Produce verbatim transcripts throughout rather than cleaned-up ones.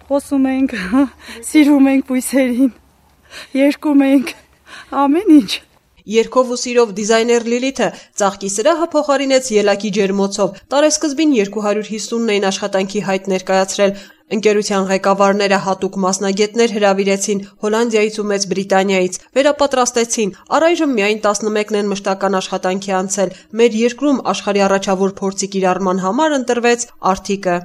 խոսում ենք, սիրում ենք բույսերին, երգում ենք, ամեն ինչ։ Երգով ու սիրով դիզայներ Լիլիթը ծաղկի սրահը փոխարինեց ելակի ջերմոցով։ Տարեսկզբին երկու հարյուր հիսունն էին աշխատանքի հայտ ներկայացրել։ Ընկերության ղեկավարները հատուկ մասնագետներ հրավիրեցին Հոլանդիայից ու Մեծ Բրիտանիայից, վերապատրաստեցին։ Առայժմ միայն տասնմեկն են մշտական աշխատանքի անցել։ Մեր երկրում աշխարհի առաջավոր փորձի կիրառման համար ընտրվեց Arctic-ը։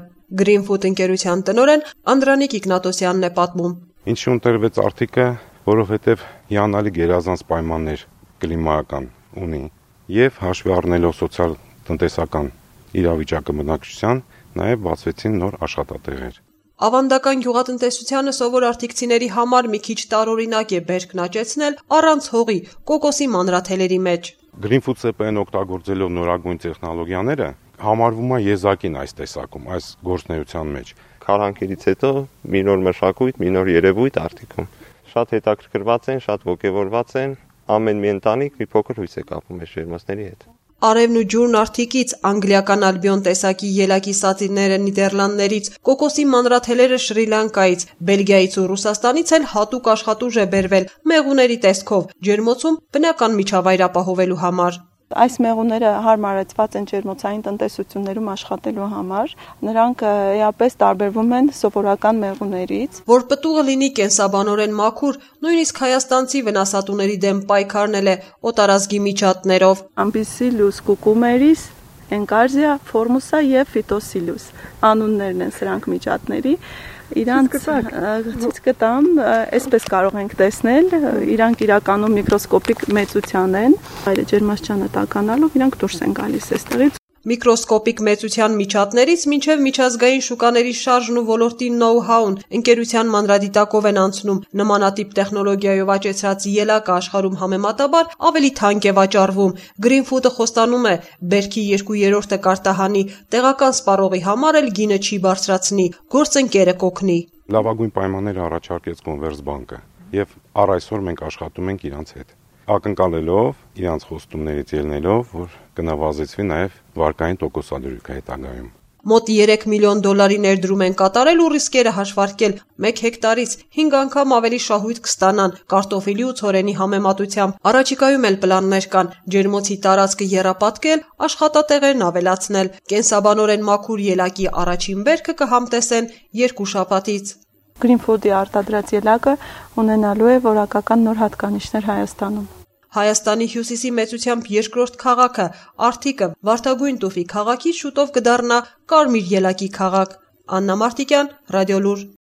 Greenfood ընկերության տնօրեն Անդրանիկ Իգնատոսյանն է պատմում։ Ինչու ընտրվեց Arctic-ը, որովհետև հիանալի գերազանց պայմաններ կլիմայական ունի եւ հաշվի առնելով սոցիալ-տնտեսական իրավիճակը բնակչության, նաեւ բացվեցին նոր աշխատատեղեր։ Ավանդական գյուղատնտեսությանը սովոր արտիքցիների համար մի քիչ տարօրինակ է բերքն աճեցնել առանց հողի, կոկոսի մանրաթելերի մեջ։ Greenfood C P N օգտագործելով նորագույն տեխնոլոգիաները համարվում է եզակին այս տեսակում, այս գործնեության մեջ։ Քարանքերից հետո մի նոր մշակույթ, մի նոր երևույթ Arctic-ում։ Շատ հետաքրքրված են, շատ ոգևորված են, ամեն մի ընտանիք մի փոքր հույս է կապում այս ջերմոցների հետ։ Արևն ու ջուրն Arctic-ից, անգլիական ալբիոն տեսակի ելակի սածիները Նիդերլանդներից, կոկոսի մանրաթելերը Շրի Լանկայից, Բելգիայից ու Ռուսաստանից էլ հատուկ աշխատուժ է բերվել մեղուների տեսքով, ջերմոցում բնական միջավայր ապահովելու համար։ Այս մեղուները հարմարեցված են ջերմոցային տնտեսություններում աշխատելու համար, նրանք էապես տարբերվում են սովորական մեղուներից։ Որ պտուղը լինի կենսաբանորեն մաքուր, նույնիսկ հայաստանցի վնասատուների դեմ պայքարնել է օտարազգի միջատներով։ Ampicillus cucumeris, Encarsia formosa եւ Phytosillus անուններն են սրանք միջատների։ Իրանք ցույց կտամ, այսպես կարող ենք տեսնել, իրանք իրականում միկրոսկոպիկ մեծության են, այլ ջերմաստիճանը տականալով իրանք դուրս են գալիս այստեղից։ Միկրոսկոպիկ մեծության միջատներից մինչև միջազգային շուկաների շարժն ու ոլորտի նոու-հաուն ընկերության մանրադիտակով են անցնում։ Նմանատիպ տեխնոլոգիայով աճեցրած ելակը աշխարհում համեմատաբար ավելի թանկ է վաճառվում։ Greenfood-ը խոստանում է, բերքի երկու երրորդը կարտահանի, տեղական սպառողի համար էլ գինը չի բարձրացնի, գործընկերը կօգնի։ Լավագույն պայմանները առաջարկեց Կոնվերսբանկը եւ առ այսօր մենք աշխատում ենք իրանց հետ։ Ակնկալելով իրանց խոստումներից ելնելով, որ կնվազեցվի նաև վարկային տոկոսադրույքը հետագայում։ Մոտ երեք միլիոն դոլարի ներդրում են կատարել ու ռիսկերը հաշվարկել։ Մեկ հեկտարից հինգ անգամ ավելի շահույթ կստանան կարտոֆիլի ու ցորենի համեմատությամբ։ Առաջիկայում էլ պլաններ կան ջերմոցի տարածքը եռապատկել, աշխատատեղերն ավելացնել։ Կենսաբանորեն մաքուր ելակի առաջին բերքը կհամտեսեն երկու շաբաթից։ Greenfood-ի արտադրած ելակը ունենալու է որակական նոր հատկանիշներ Հայաստանում։ Հայաստանի հյուսիսի մեծությամբ երկրորդ քաղաքը Arctic-ը Վարդագույն տուֆի քաղաքից շուտով կդառնա կարմիր ելակի քաղաք։ Աննա Մարտիկյան, Ռադիոլուր։